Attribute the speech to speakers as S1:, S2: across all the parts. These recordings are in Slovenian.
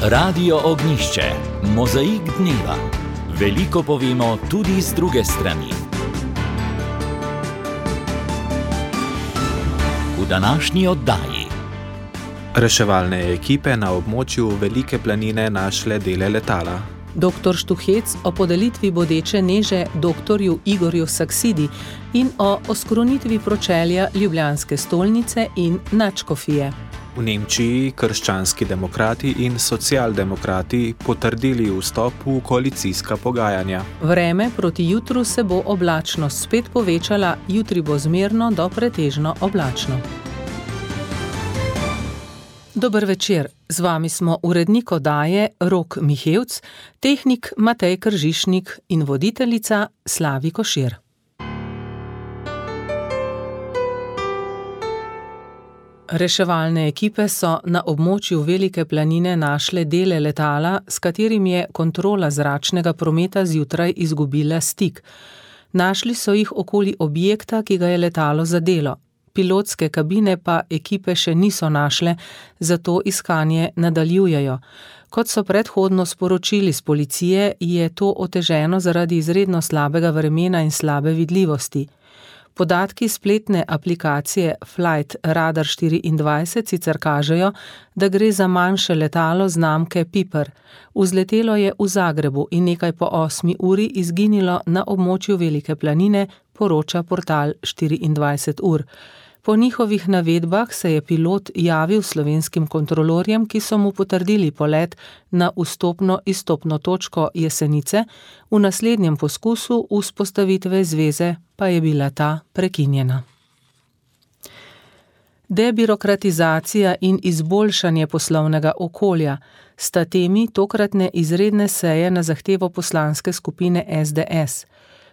S1: Radio Ognjišče, mozaik dneva. Veliko povemo tudi z druge strani. V današnji oddaji.
S2: Reševalne ekipe na območju Velike planine našle dele letala.
S3: Dr. Štuhec o podelitvi bodeče neže doktorju Igorju Saksidi in o oskrunitvi pročelja Ljubljanske stolnice in nadškofije.
S2: V Nemčiji krščanski demokrati in socialdemokrati potrdili vstop v koalicijska pogajanja.
S3: Vreme proti jutru se bo oblačnost spet povečala, jutri bo zmerno do pretežno oblačno. Dober večer, z vami smo urednik oddaje Rok Mihevc, tehnik Matej Kržišnik in voditeljica Slavi Košir. Reševalne ekipe so na območju Velike planine našle dele letala, s katerim je kontrola zračnega prometa zjutraj izgubila stik. Našli so jih okoli objekta, ki ga je letalo zadelo. Pilotske kabine pa ekipe še niso našle, zato iskanje nadaljujejo. Kot so predhodno sporočili z policije, je to oteženo zaradi izredno slabega vremena in slabe vidljivosti. Podatki spletne aplikacije Flight Radar 24 sicer kažejo, da gre za manjše letalo znamke Piper. Vzletelo je v Zagrebu in nekaj po 8 uri izginilo na območju Velike planine, poroča portal 24 ur. Po njihovih navedbah se je pilot javil slovenskim kontrolorjem, ki so mu potrdili polet na vstopno-izstopno točko Jesenice, v naslednjem poskusu vzpostavitve zveze pa je bila ta prekinjena. Debirokratizacija in izboljšanje poslovnega okolja sta temi tokratne izredne seje na zahtevo poslanske skupine SDS.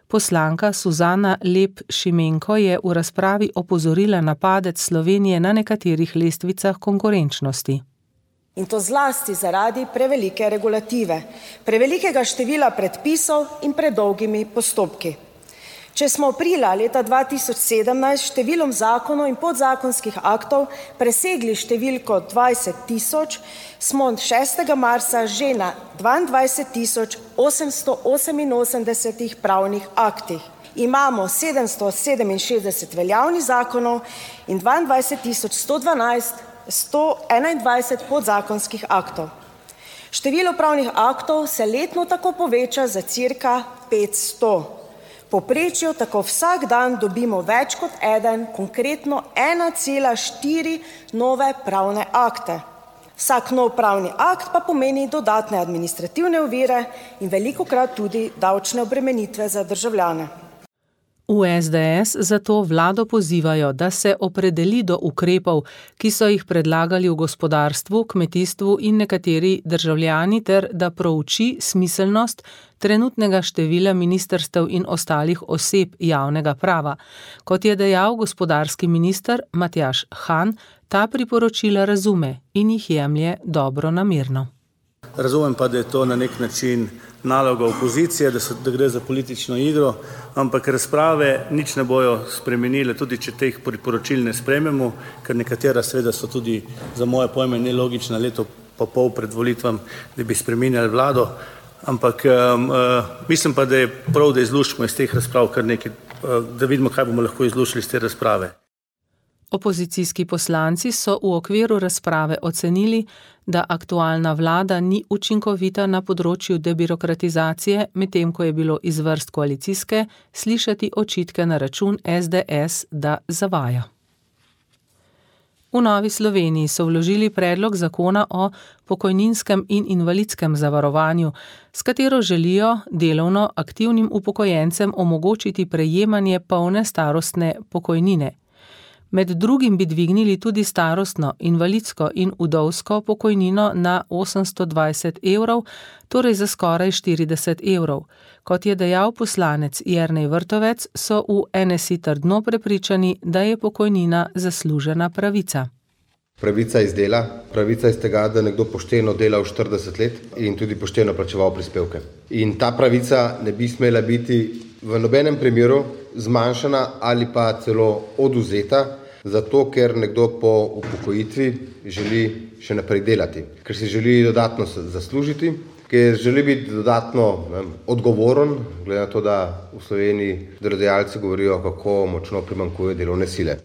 S3: Poslanka Suzana Lep Šimenko je v razpravi opozorila na padec Slovenije na nekaterih lestvicah konkurenčnosti.
S4: In to zlasti zaradi prevelike regulative, prevelikega števila predpisov in predolgimi postopki. Če smo aprila leta 2017 številom zakonov in podzakonskih aktov presegli številko 20 000, smo 6. marca že na 22 888 pravnih aktih. Imamo 767 veljavnih zakonov in 22 121 podzakonskih aktov. Število pravnih aktov se letno tako poveča za cirka 500. Povprečju tako vsak dan dobimo več kot eden, konkretno 1,4 nove pravne akte. Vsak nov pravni akt pa pomeni dodatne administrativne ovire in velikokrat tudi davčne obremenitve za državljane.
S3: V SDS zato vlado pozivajo, da se opredeli do ukrepov, ki so jih predlagali v gospodarstvu, kmetijstvu in nekateri državljani, ter da prouči smiselnost trenutnega števila ministrstev in ostalih oseb javnega prava. Kot je dejal gospodarski minister Matjaž Han, ta priporočila razume in jih jemlje dobronamerno.
S5: Razumem pa, da je to na nek način naloga opozicije, da gre za politično igro, ampak razprave nič ne bojo spremenile, tudi če teh priporočil ne sprejmemo, ker nekatera seveda so tudi za moje pojme nelogična, leto pa pol pred volitvami, da bi spreminjali vlado, ampak mislim pa, da je prav, da izluščimo iz teh razprav kar nekaj, da vidimo, kaj bomo lahko izluščili iz te razprave.
S3: Opozicijski poslanci so v okviru razprave ocenili, da aktualna vlada ni učinkovita na področju debirokratizacije, medtem ko je bilo iz vrst koalicijske slišati očitke na račun SDS, da zavaja. V Novi Sloveniji so vložili predlog zakona o pokojninskem in invalidskem zavarovanju, s katero želijo delovno aktivnim upokojencem omogočiti prejemanje polne starostne pokojnine. Med drugim bi dvignili tudi starostno, invalidsko in vdovsko pokojnino na 820 evrov, torej za skoraj 40 evrov. Kot je dejal poslanec Jernej Vrtovec, so v NSI trdno prepričani, da je pokojnina zaslužena pravica.
S6: Pravica iz dela, pravica iz tega, da nekdo pošteno dela v 40 let in tudi pošteno plačeval prispevke. In ta pravica ne bi smela biti v nobenem primeru zmanjšana ali pa celo odvzeta zato ker nekdo po upokojitvi želi še naprej delati, ker si želi dodatno zaslužiti, ker želi biti dodatno odgovoren, glede na to, da v Sloveniji delodajalci govorijo, kako močno primanjkuje delovne sile.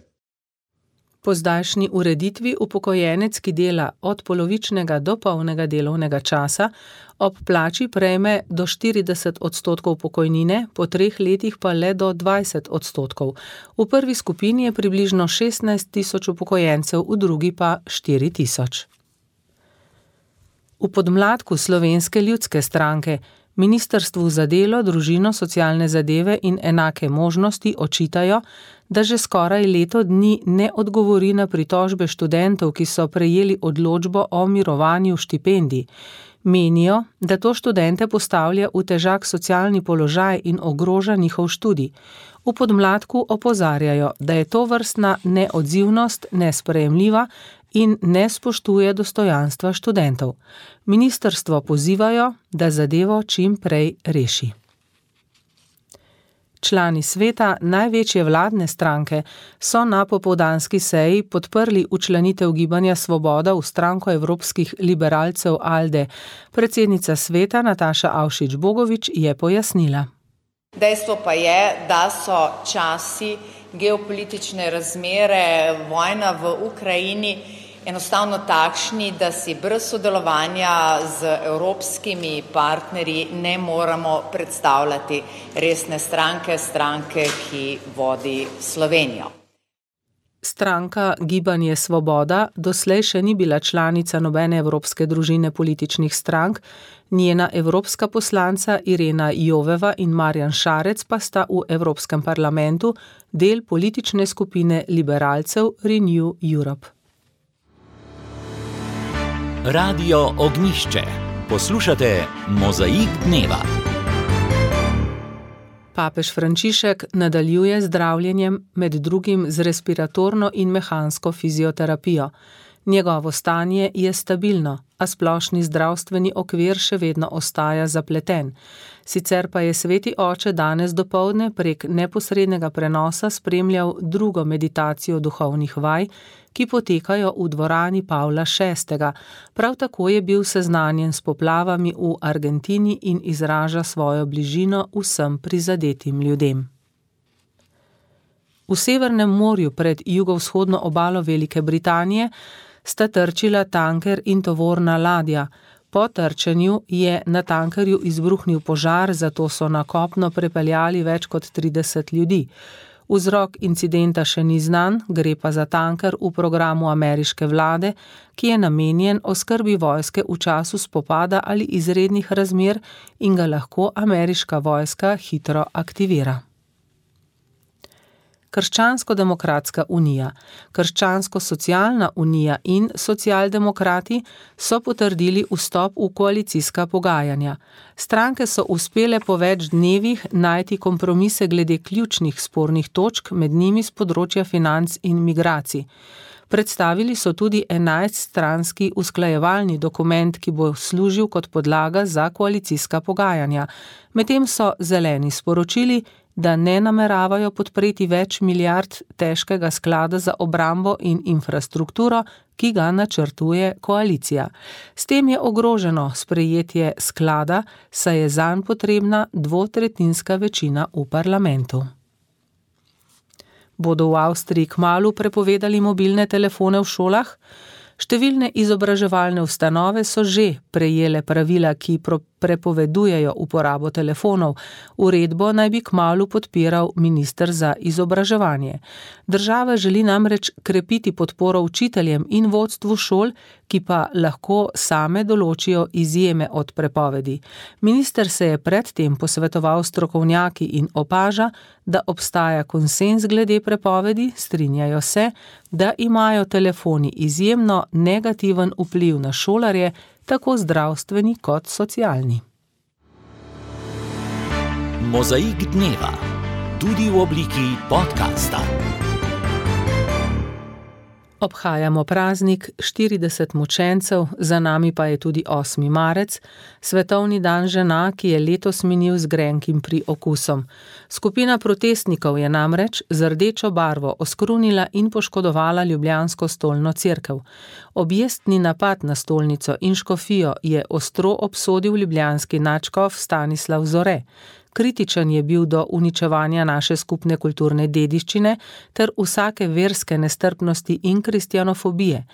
S3: Po zdajšnji ureditvi upokojenec, ki dela od polovičnega do polnega delovnega časa, ob plači prejme do 40% pokojnine, po 3 letih pa le do 20%. V prvi skupini je približno 16 tisoč upokojencev, v drugi pa 4 tisoč. V podmladku Slovenske ljudske stranke Ministrstvu za delo, družino, socialne zadeve in enake možnosti očitajo, da že skoraj leto dni ne odgovori na pritožbe študentov, ki so prejeli odločbo o mirovanju štipendij. Menijo, da to študente postavlja v težak socialni položaj in ogroža njihov študij. V podmladku opozarjajo, da je tovrstna neodzivnost nesprejemljiva in ne spoštuje dostojanstva študentov. Ministrstvo pozivajo, da zadevo čim prej reši. Člani sveta največje vladne stranke so na popoldanski seji podprli včlanitev Gibanja Svoboda v stranko evropskih liberalcev ALDE. Predsednica sveta Nataša Avšič Bogovič je pojasnila.
S7: Dejstvo pa je, da so časi, geopolitične razmere, vojna v Ukrajini enostavno takšni, da si brez sodelovanja z evropskimi partnerji ne moremo predstavljati resne stranke, ki vodi Slovenijo.
S3: Stranka Gibanje Svoboda doslej še ni bila članica nobene evropske družine političnih strank, njena evropska poslanca Irena Joveva in Marjan Šarec pa sta v Evropskem parlamentu del politične skupine liberalcev Renew Europe.
S1: Radio Ognjišče. Poslušate Mozaik dneva.
S3: Papež Frančišek nadaljuje zdravljenjem, med drugim z respiratorno in mehansko fizioterapijo. Njegovo stanje je stabilno, a splošni zdravstveni okvir še vedno ostaja zapleten. Sicer pa je sveti oče danes dopoldne prek neposrednega prenosa spremljal drugo meditacijo duhovnih vaj, ki potekajo v dvorani Pavla VI. Prav tako je bil seznanjen s poplavami v Argentini in izraža svojo bližino vsem prizadetim ljudem. V Severnem morju pred jugovzhodno obalo Velike Britanije sta trčila tanker in tovorna ladja. Po trčenju je na tankerju izbruhnil požar, zato so na kopno prepeljali več kot 30 ljudi. Vzrok incidenta še ni znan, gre pa za tanker v programu ameriške vlade, ki je namenjen oskrbi vojske v času spopada ali izrednih razmer in ga lahko ameriška vojska hitro aktivira. Krščansko-demokratska unija, Krščansko-socialna unija in socialdemokrati so potrdili vstop v koalicijska pogajanja. Stranke so uspele po več dnevih najti kompromise glede ključnih spornih točk, med njimi s področja financ in migracij. Predstavili so tudi 11-stranski usklajevalni dokument, ki bo služil kot podlaga za koalicijska pogajanja. Medtem so zeleni sporočili, da ne nameravajo podpreti več milijard težkega sklada za obrambo in infrastrukturo, ki ga načrtuje koalicija. S tem je ogroženo sprejetje sklada, saj je zanj potrebna 2/3 večina v parlamentu. Bodo v Avstriji kmalu prepovedali mobilne telefone v šolah? Številne izobraževalne ustanove so že prejele pravila, ki prepovedujejo uporabo telefonov. Uredbo naj bi kmalu podpiral minister za izobraževanje. Država želi namreč krepiti podporo učiteljem in vodstvu šol, ki pa lahko same določijo izjeme od prepovedi. Minister se je predtem posvetoval s strokovnjaki in opaža, da obstaja konsenz glede prepovedi, strinjajo se, da imajo telefoni izjemno negativen vpliv na šolarje, tako zdravstveni kot socialni.
S1: Mozaik dneva, tudi v obliki podcasta.
S3: Obhajamo praznik 40 mučencev, za nami pa je tudi 8. marec, svetovni dan žena, ki je letos minil z grenkim priokusom. Skupina protestnikov je namreč z rdečo barvo oskrunila in poškodovala ljubljansko stolno cerkev. Objestni napad na stolnico in škofijo je ostro obsodil ljubljanski nadškof Stanislav Zore. Kritičen je bil do uničevanja naše skupne kulturne dediščine ter vsake verske nestrpnosti in kristjanofobije.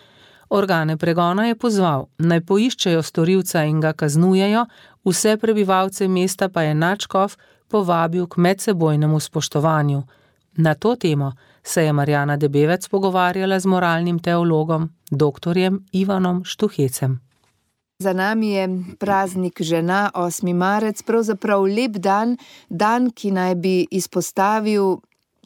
S3: Organe pregona je pozval, naj poiščejo storilca in ga kaznujejo, vse prebivalce mesta pa je nadškof povabil k medsebojnemu spoštovanju. Na to temo se je Marjana Debevec pogovarjala z moralnim teologom, doktorjem Ivanom Štuhecem.
S8: Za nami je praznik žena, 8. marec, pravzaprav lep dan, dan, ki naj bi izpostavil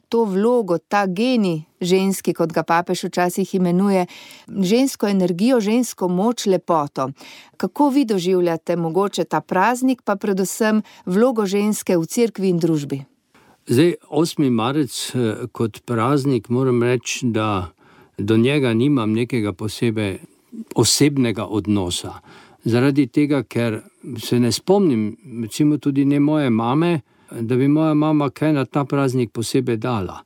S8: to vlogo, ta genij ženski, kot ga papež včasih imenuje, žensko energijo, žensko moč, lepoto. Kako vi doživljate mogoče ta praznik, pa predvsem vlogo ženske v cerkvi in družbi?
S9: Zdaj, 8. marec kot praznik, moram reči, da do njega nimam nekega posebej osebnega odnosa. Zaradi tega, ker se ne spomnim, recimo tudi ne moje mame, da bi moja mama kaj na ta praznik posebej dala.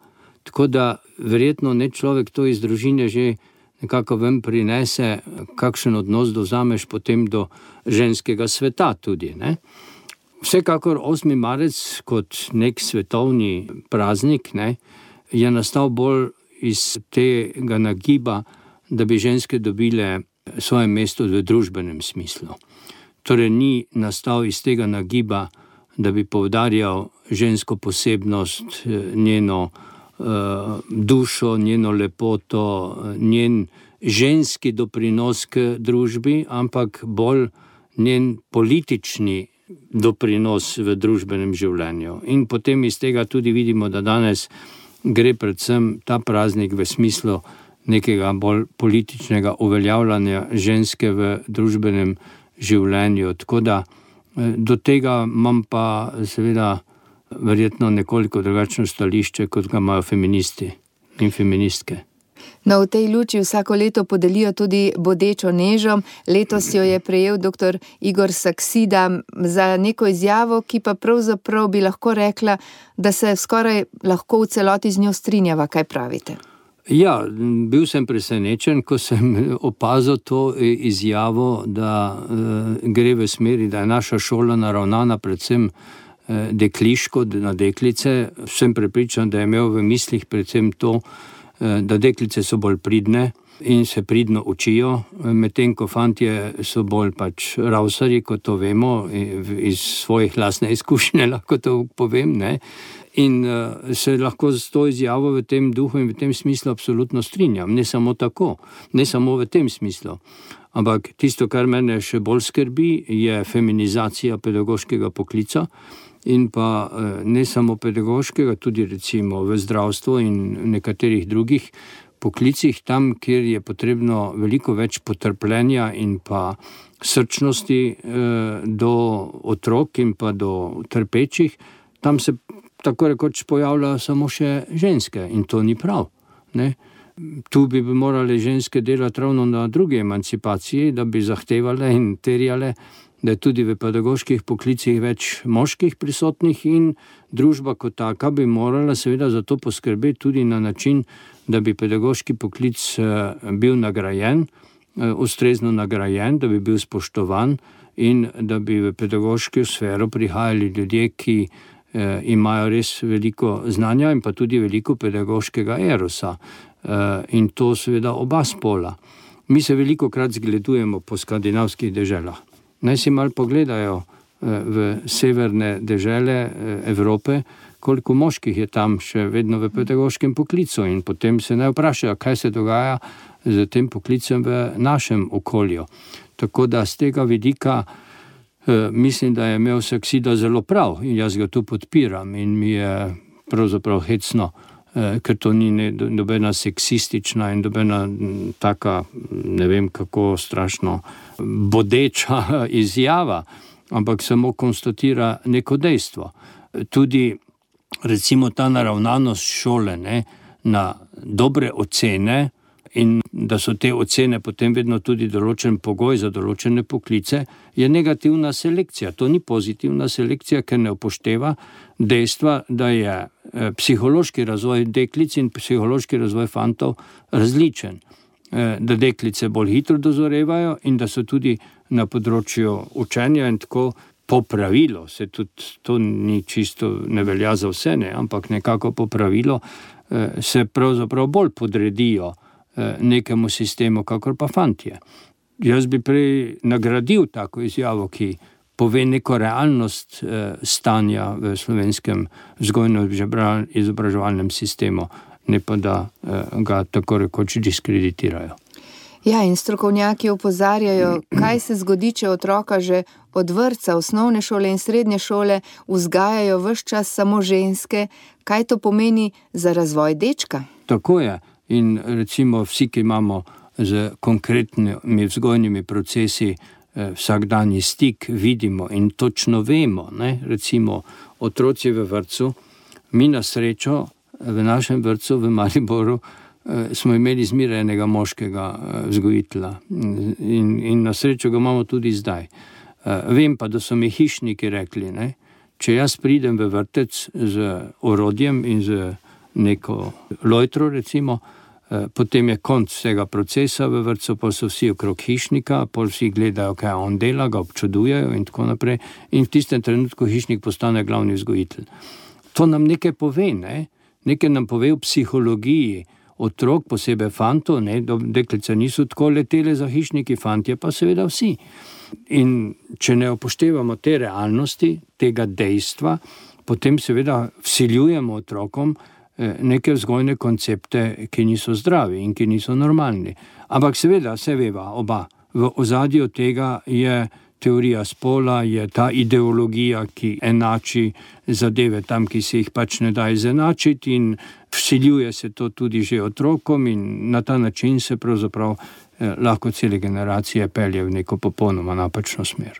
S9: Tako da verjetno ne človek to iz družine že nekako ven prinese, kakšen odnos dovzameš potem do ženskega sveta tudi, ne? Vsekakor 8. marec kot nek svetovni praznik, ne, je nastal bolj iz tega nagiba, da bi ženske dobile svoje mesto v družbenem smislu. Torej ni nastal iz tega nagiba, da bi poudarjal žensko posebnost, njeno dušo, njeno lepoto, njen ženski doprinos k družbi, ampak bolj njen politični doprinos v družbenem življenju. In potem iz tega tudi vidimo, da danes gre predvsem ta praznik v smislu nekega bolj političnega uveljavljanja ženske v družbenem življenju. Tako da do tega imam pa seveda verjetno nekoliko drugačno stališče, kot ga imajo feministi in feministke.
S8: No, v tej luči vsako leto podelijo tudi bodečo nežo. Letos jo je prejel dr. Igor Saksida za neko izjavo, ki pa pravzaprav bi lahko rekla, da se skoraj lahko v celoti z njo strinjava. Kaj pravite?
S9: Ja, bil sem presenečen, ko sem opazil to izjavo, da gre v smeri, da je naša šola naravnana predvsem dekliško, na deklice. Sem prepričan, da je imel v mislih predvsem to, da deklice so bolj pridne in se pridno učijo, medtem ko fantje so bolj ravsarji, kot to vemo, iz svojih lastne izkušnje lahko to povem, ne. In se lahko z to izjavo v tem duhu in v tem smislu absolutno strinjam. Ne samo tako, ne samo v tem smislu. Ampak tisto, kar mene še bolj skrbi, je feminizacija pedagoškega poklica in pa ne samo pedagoškega, tudi recimo v zdravstvu in nekaterih drugih poklicih, tam, kjer je potrebno veliko več potrpljenja in pa srčnosti do otrok in pa do trpečih, tam se tako rekoč pojavljajo samo še ženske in to ni prav, ne? Tu bi morale ženske delati ravno na drugi emancipaciji, da bi zahtevale in terjale, da je tudi v pedagoških poklicih več moških prisotnih in družba kot taka bi morala seveda za to poskrbeti tudi na način, da bi pedagoški poklic bil nagrajen, ustrezno nagrajen, da bi bil spoštovan in da bi v pedagoško sfero prihajali ljudje, ki imajo res veliko znanja in pa tudi veliko pedagoškega erosa. In to seveda oba spola. Mi se velikokrat zgledujemo po skandinavskih deželah. Naj si malo pogledajo v severne dežele Evrope, koliko moških je tam še vedno v pedagoškem poklicu in potem se ne vprašajo, kaj se dogaja z tem poklicem v našem okolju. Tako da z tega vidika mislim, da je imel Saksida zelo prav in jaz ga tu podpiram in mi je pravzaprav hecno, ker to ni nobena seksistična in nobena taka, ne vem kako strašno bodeča izjava, ampak samo konstatira neko dejstvo. Tudi recimo ta naravnanost šole, ne, na dobre ocene in da so te ocene potem vedno tudi določen pogoj za določene poklice, je negativna selekcija. To ni pozitivna selekcija, ker ne upošteva dejstva, da je psihološki razvoj deklic in psihološki razvoj fantov različen. Da deklice bolj hitro dozorevajo in da so tudi na področju učenja in tako po pravilu, se tudi to ni čisto, ne velja za vse, ne, ampak nekako po pravilu se pravzaprav bolj podredijo nekemu sistemu, kakor pa fantje. Jaz bi prej nagradil tako izjavo, ki pove neko realnost stanja v slovenskem vzgojno-izobraževalnem sistemu, ne pa da ga tako rekoč diskreditirajo.
S8: Ja, in strokovnjaki opozarjajo, kaj se zgodi, če otroka že od vrtca, osnovne šole in srednje šole vzgajajo ves čas samo ženske, kaj to pomeni za razvoj dečka?
S9: Tako je. In recimo vsi, ki imamo z konkretnimi vzgojnimi procesi vsakdanji stik, vidimo in točno vemo, ne? Recimo otroci v vrtcu, mi na srečo v našem vrtcu v Mariboru smo imeli zmeraj enega moškega vzgojitelja in na srečo ga imamo tudi zdaj. Vem pa, da so mi hišniki rekli, ne? Če jaz pridem v vrtec z orodjem in z neko lojtro recimo, potem je konc vsega procesa v vrtcu, pa so vsi okrog hišnika, pa vsi gledajo, kaj on dela, ga občudujejo in tako naprej. In v tistem trenutku hišnik postane glavni vzgojitelj. To nam nekaj pove, ne? Nekaj nam pove v psihologiji otrok, posebej fantov, ne? Deklice niso tako letele za hišniki, fantje pa seveda vsi. In če ne upoštevamo te realnosti, tega dejstva, potem seveda vsiljujemo otrokom neke vzgojne koncepte, ki niso zdravi in ki niso normalni. Ampak seveda, se veva oba, v ozadju tega je teorija spola, je ta ideologija, ki enači zadeve tam, ki se jih pač ne da izenačiti in vsiljuje se to tudi že otrokom in na ta način se pravzaprav lahko cele generacije pelje v neko popolnoma napačno smer.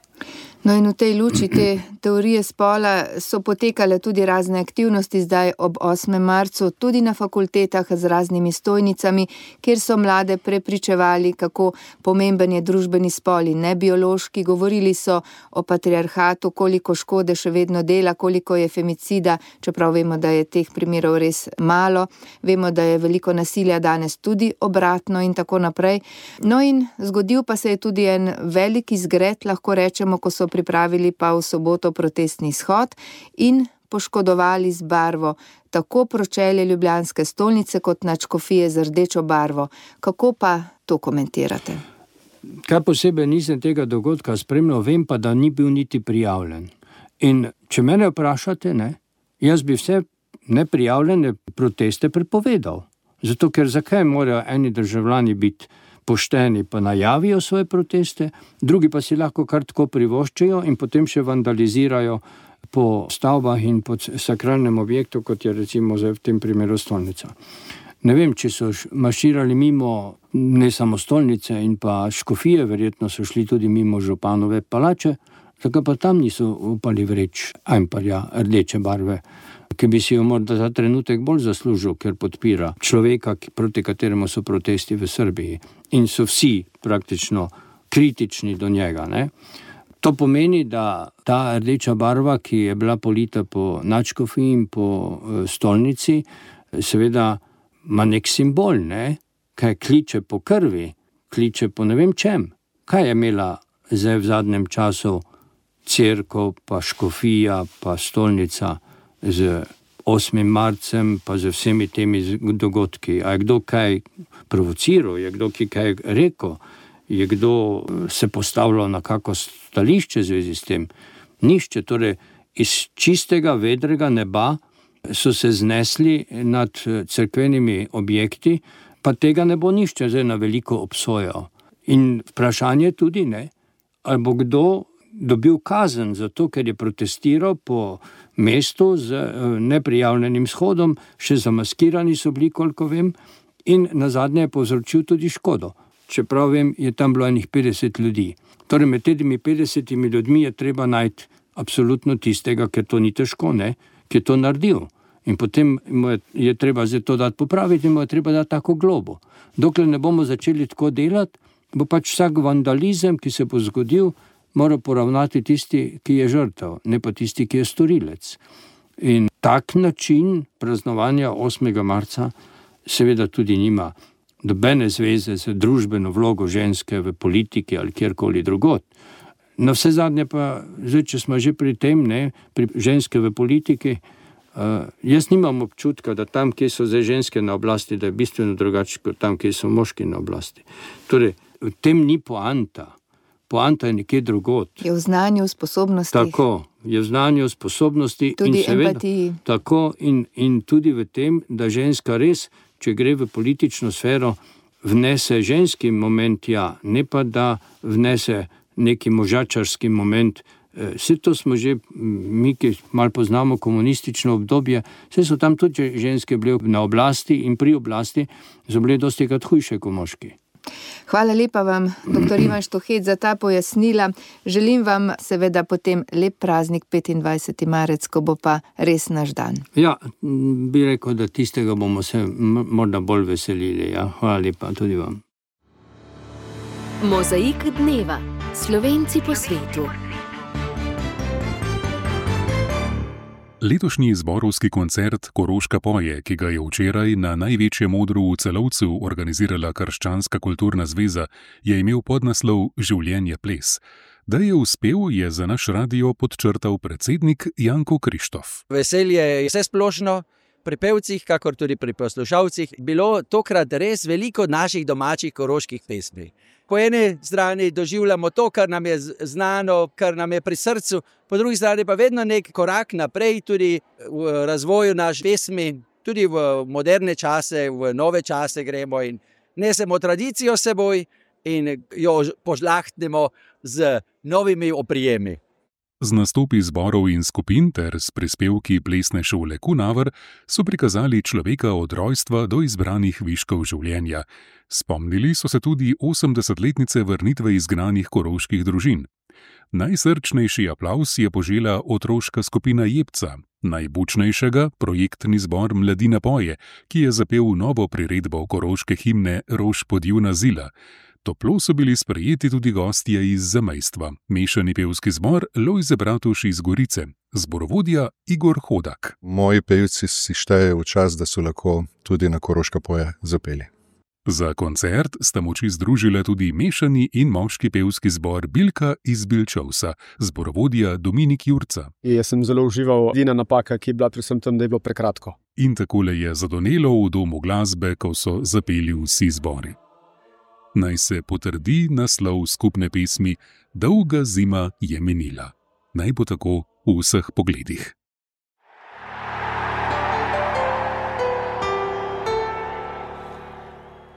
S8: No in v tej luči te teorije spola so potekale tudi razne aktivnosti zdaj ob 8. marcu, tudi na fakultetah z raznimi stojnicami, kjer so mlade prepričevali, kako pomemben je družbeni spol in ne biološki. Govorili so o patriarhatu, koliko škode še vedno dela, koliko je femicida, čeprav vemo, da je teh primerov res malo. Vemo, da je veliko nasilja danes tudi obratno in tako naprej. No in zgodil pa se je tudi en velik izgred, lahko rečemo, ko so pripravili pa v soboto protestni shod in poškodovali z barvo tako pročelje ljubljanske stolnice kot nadškofije z rdečo barvo. Kako pa to komentirate?
S9: Kaj posebej nisem tega dogodka spremljal, vem pa, da ni bil niti prijavljen. In če mene vprašate, ne, jaz bi vse neprijavljene proteste prepovedal. Zato, ker zakaj morajo eni državljani biti pošteni pa najavijo svoje proteste, drugi pa si lahko kar tako privoščijo in potem še vandalizirajo po stavbah in po sakralnem objektu, kot je recimo v tem primeru stolnica. Ne vem, če so marširali mimo ne samo stolnice in pa škofije, verjetno so šli tudi mimo županove palače, tako pa tam niso upali vreč ajmparja rdeče barve, ki bi si jo morda za trenutek bolj zaslužil, ker podpira človeka, proti kateremu so protesti v Srbiji. In so vsi praktično kritični do njega, ne? To pomeni, da ta rdeča barva, ki je bila polita po nadškofiji in po stolnici, seveda ima nek simbol, ne? Kaj kliče po krvi, kliče po ne vem čem. Kaj je imela zdaj v zadnjem času cerkev, pa škofija, pa stolnica z 8. marcem, pa z vsemi temi dogodki? A je kdo kaj provociral, je kdo kaj rekel, je kdo se postavljal na kako stališče v zvezi s tem? Nišče, torej iz čistega vedrega neba so se znesli nad cerkvenimi objekti, pa tega ne bo nišče zdaj na veliko obsojal. In vprašanje tudi, ne, ali bo kdo dobil kazen za to, ker je protestiral po mestu z neprijavljenim shodom, še zamaskirani so bili, koliko vem, in nazadnje je povzročil tudi škodo. Čeprav vem, je tam bilo enih 50 ljudi. Torej med temi 50 ljudmi je treba najti absolutno tistega, ker to ni težko, ne, ki je to naredil. In potem je treba zdaj to dati popraviti in mu je treba dati tako globo. Dokler ne bomo začeli tako delati, bo pač vsak vandalizem, ki se bo zgodil, mora poravnati tisti, ki je žrtev, ne pa tisti, ki je storilec. In tak način praznovanja 8. marca seveda tudi nima nobene zveze z družbeno vlogo ženske v politiki ali kjerkoli drugod. Na vse zadnje pa, zdaj, če smo že pri tem, pri ženske v politiki, jaz nimam občutka, da tam, kjer so zdaj ženske na oblasti, da je bistveno drugače kot tam, kjer so moški na oblasti. Torej, v tem ni poanta. Poanta je nekje drugod.
S8: Je v znanju, sposobnosti.
S9: Tako, je v znanju, sposobnosti.
S8: Tudi
S9: in seveda,
S8: empatiji.
S9: Tako in tudi v tem, da ženska res, če gre v politično sfero, vnese ženski moment, ne pa da vnese neki možačarski moment. Vse to smo že, mi, ki malo poznamo komunistično obdobje, vse so tam tudi ženske bile na oblasti in pri oblasti, so bile dosti krat hujše kot moški.
S8: Hvala lepa vam, dr. Ivan Štuhec, za ta pojasnila. Želim vam seveda potem lep praznik 25. marec, ko bo pa res naš dan.
S9: Ja, bi rekel, da tistega bomo se morda bolj veselili. Ja. Hvala lepa tudi vam.
S10: Mozaik dneva. Slovenci po svetu.
S11: Letošnji zborovski koncert Koroška poje, ki ga je včeraj na največjem odru v Celovcu organizirala Krščanska kulturna zveza, je imel podnaslov Življenje ples. Da je uspel, je za naš radio podčrtal predsednik Janko Krištof.
S12: Veselje je vse splošno, pri pevcih, kakor tudi pri poslušalcih, bilo tokrat res veliko naših domačih koroških pesmi. Po eni strani doživljamo to, kar nam je znano, kar nam je pri srcu, po drugi strani pa vedno nek korak naprej tudi v razvoju naš pesmi, tudi v moderne čase, v nove čase gremo in nesemo tradicijo s seboj in jo požlahtnemo z novimi oprijemi.
S11: Z nastopi zborov in skupin ter s prispevki plesne šole Kunaver so prikazali človeka od rojstva do izbranih viškov življenja. Spomnili so se tudi 80-letnice vrnitve izgnanih koroških družin. Najsrčnejši aplavz je požela otroška skupina Jebca, najbučnejšega projektni zbor Mladina poje, ki je zapel novo priredbo koroške himne Rož podjuna zila. Toplo so bili sprejeti tudi gostje iz zamejstva, mešani pevski zbor Lojze Bratuš iz Gorice, zborovodja Igor Hodak.
S13: Moji pevci si štejejo v čas, da so lahko tudi na Koroška poje zapeli.
S11: Za koncert sta moči združile tudi mešani in moški pevski zbor Bilka iz Bilčovsa, zborovodja Dominik Jurca.
S14: Jaz sem zelo užival, edina napaka, ki je bila predvsem tam, da je bilo prekratko.
S11: In takole je zadonelo v domu glasbe, ko so zapeli vsi zbori. Naj se potrdi naslov skupne pesmi Dolga zima je minila. Naj bo tako v vseh pogledih.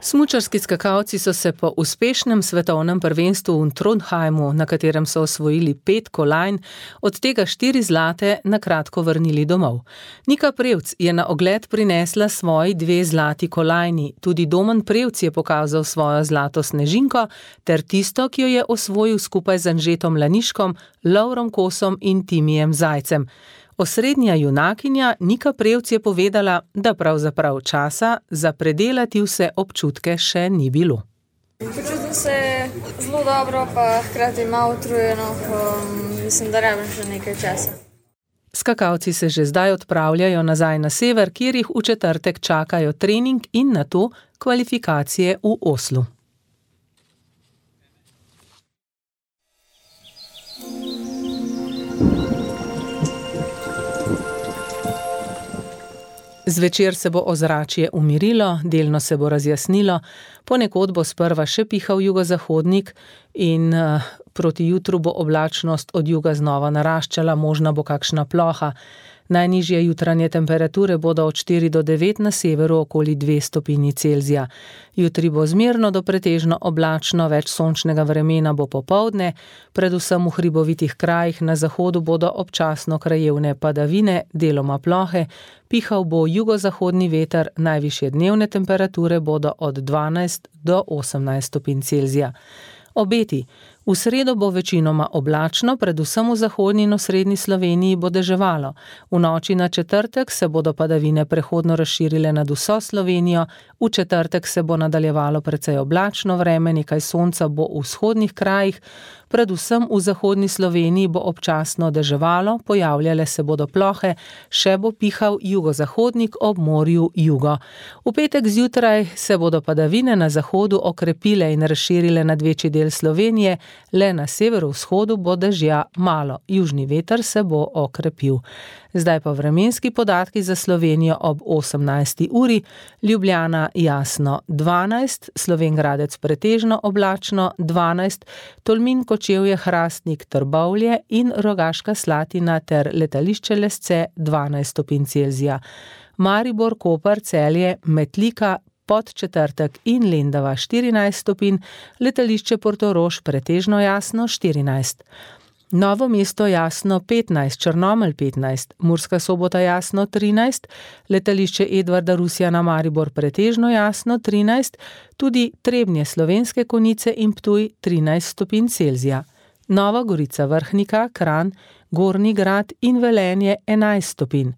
S3: Smučarski skakalci so se po uspešnem svetovnem prvenstvu v Trondheimu, na katerem so osvojili 5 kolajn, od tega 4 zlate, na kratko vrnili domov. Nika Prevc je na ogled prinesla svoji 2 zlati kolajni, tudi Domen Prevc je pokazal svojo zlato snežinko, ter tisto, ki jo je osvojil skupaj z Anžetom Laniškom, Lovrom Kosom in Timijem Zajcem. Osrednja junakinja Nika Prevc je povedala, da pravzaprav časa za predelati vse občutke še ni bilo.
S15: Počutim se zelo dobro, pa hkrati malo utrujeno, mislim, da rabim še nekaj časa.
S3: Skakalci se že zdaj odpravljajo nazaj na sever, kjer jih v četrtek čakajo trening in nato kvalifikacije v Oslu. Zvečer se bo ozračje umirilo, delno se bo razjasnilo, ponekod bo sprva še pihal jugozahodnik in proti jutru bo oblačnost od juga znova naraščala, možna bo kakšna ploha. Najnižje jutranje temperature bodo od 4 do 9 na severu okoli 2 stopinji Celzija. Jutri bo zmerno do pretežno oblačno, več sončnega vremena bo popoldne, predvsem v hribovitih krajih na zahodu bodo občasno krajevne padavine, deloma plohe, pihal bo jugozahodni veter, najvišje dnevne temperature bodo od 12 do 18 stopinj Celzija. Obeti. V sredo bo večinoma oblačno, predvsem v zahodni in osrednji Sloveniji bo deževalo. V noči na četrtek se bodo padavine prehodno razširile nad vso Slovenijo, v četrtek se bo nadaljevalo precej oblačno vreme, nekaj sonca bo v vzhodnih krajih, predvsem v zahodni Sloveniji bo občasno deževalo, pojavljale se bodo plohe, še bo pihal jugozahodnik, ob morju jugo. V petek zjutraj se bodo padavine na zahodu okrepile in razširile nad večji del Slovenije, le na severovzhodu bo dežja malo, južni veter se bo okrepil. Zdaj pa vremenski podatki za Slovenijo ob 18. uri, Ljubljana jasno 12, Slovenj Gradec pretežno oblačno 12, Tolmin, Kočevje, Hrastnik, Trbovlje in Rogaška Slatina ter letališče Lesce 12 stopinj Celzija. Maribor, Koper, Celje, Metlika, Podčetrtek in Lendava 14 stopinj, letališče Portorož pretežno jasno 14. Novo mesto jasno 15, Črnomelj 15, Murska Sobota jasno 13, letališče Edvarda Rusjana Maribor pretežno jasno 13, tudi Trebnje, Slovenske Konjice in Ptuj 13 stopinj Celzija. Nova Gorica, Vrhnika, Kranj, Gornji Grad in Velenje 11 stopinj.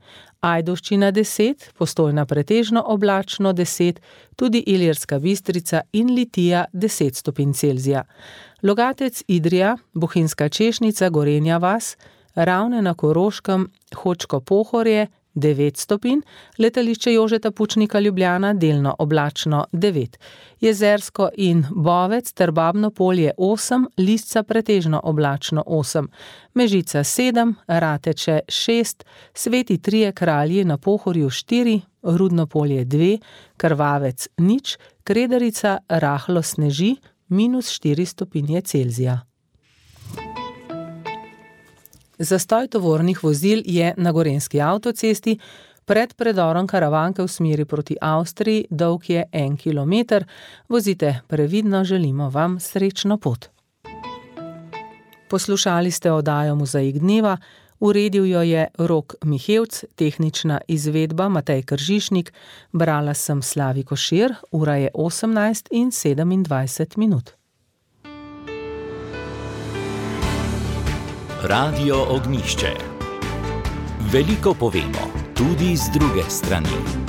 S3: Ajdovščina 10, Postojna pretežno oblačno 10, tudi Ilirska Bistrica in Litija 10 stopinj Celzija. Logatec, Idrija, Bohinjska Češnica, Gorenja vas, Ravne na Koroškem, Hočko Pohorje 9 stopinj, letališče Jožeta Pučnika Ljubljana delno oblačno 9, Jezersko in Bovec ter Babno Polje 8, Lisca pretežno oblačno 8, Mežica 7, Rateče 6, Sveti Trije Kralji na Pohorju 4, Rudno Polje 2, Krvavec 0, Kredarica rahlo sneži -4 stopinje Celzija. Zastoj tovornih vozil je na Gorenjski avtocesti, pred predorom Karavanke v smeri proti Avstriji, dolg je 1 kilometer. Vozite previdno, želimo vam srečno pot. Poslušali ste oddajo Mozaik dneva, uredil jo je Rok Mihevc, tehnična izvedba Matej Kržišnik, brala sem Slavi Košir, ura je 18:27.
S1: Radio Ognjišče. Veliko povemo, tudi z druge strani.